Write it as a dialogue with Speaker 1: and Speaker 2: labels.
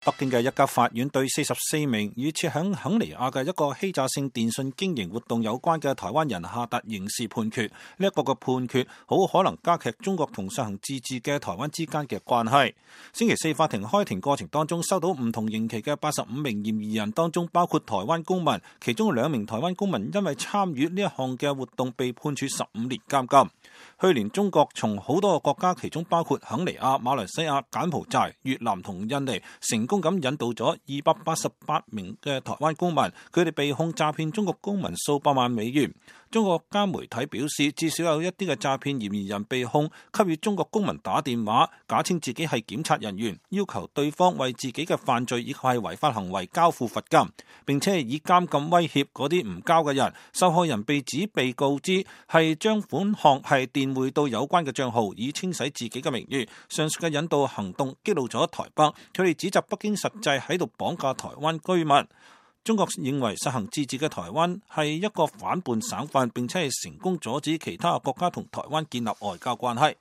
Speaker 1: 北京嘅一家法院對44名與設響肯尼亞嘅一個欺詐性電信經營活動有關嘅台灣人下達刑事判決。呢一個嘅判決好可能加劇中國同實行自治嘅台灣之間嘅關係。星期四法庭開庭過程當中，收到唔同刑期嘅85名嫌疑人當中，包括台灣公民，其中2名台灣公民因為參與呢一項嘅活動被判處15年監禁。去年中國從好多個國家，其中包括肯尼亞、馬來西亞、柬埔寨、越南同印尼，成功咁引渡咗288名嘅台灣公民，佢哋被控詐騙中國公民數百萬美元。中國家媒體表示，至少有一啲嘅詐騙嫌疑人被控給予中國公民打電話，假稱自己係檢察人員，要求對方為自己嘅犯罪以及係違法行為交付罰金，並且以監禁威脅嗰啲唔交嘅人。受害人被指被告知係將款項係電匯到有關嘅賬號，以清洗自己嘅名譽。上述嘅引渡行動激怒咗台北，佢哋指責北京實際喺度綁架台灣居民。中國認為實行自治嘅台灣係一個反叛省份，並且係成功阻止其他國家同台灣建立外交關係。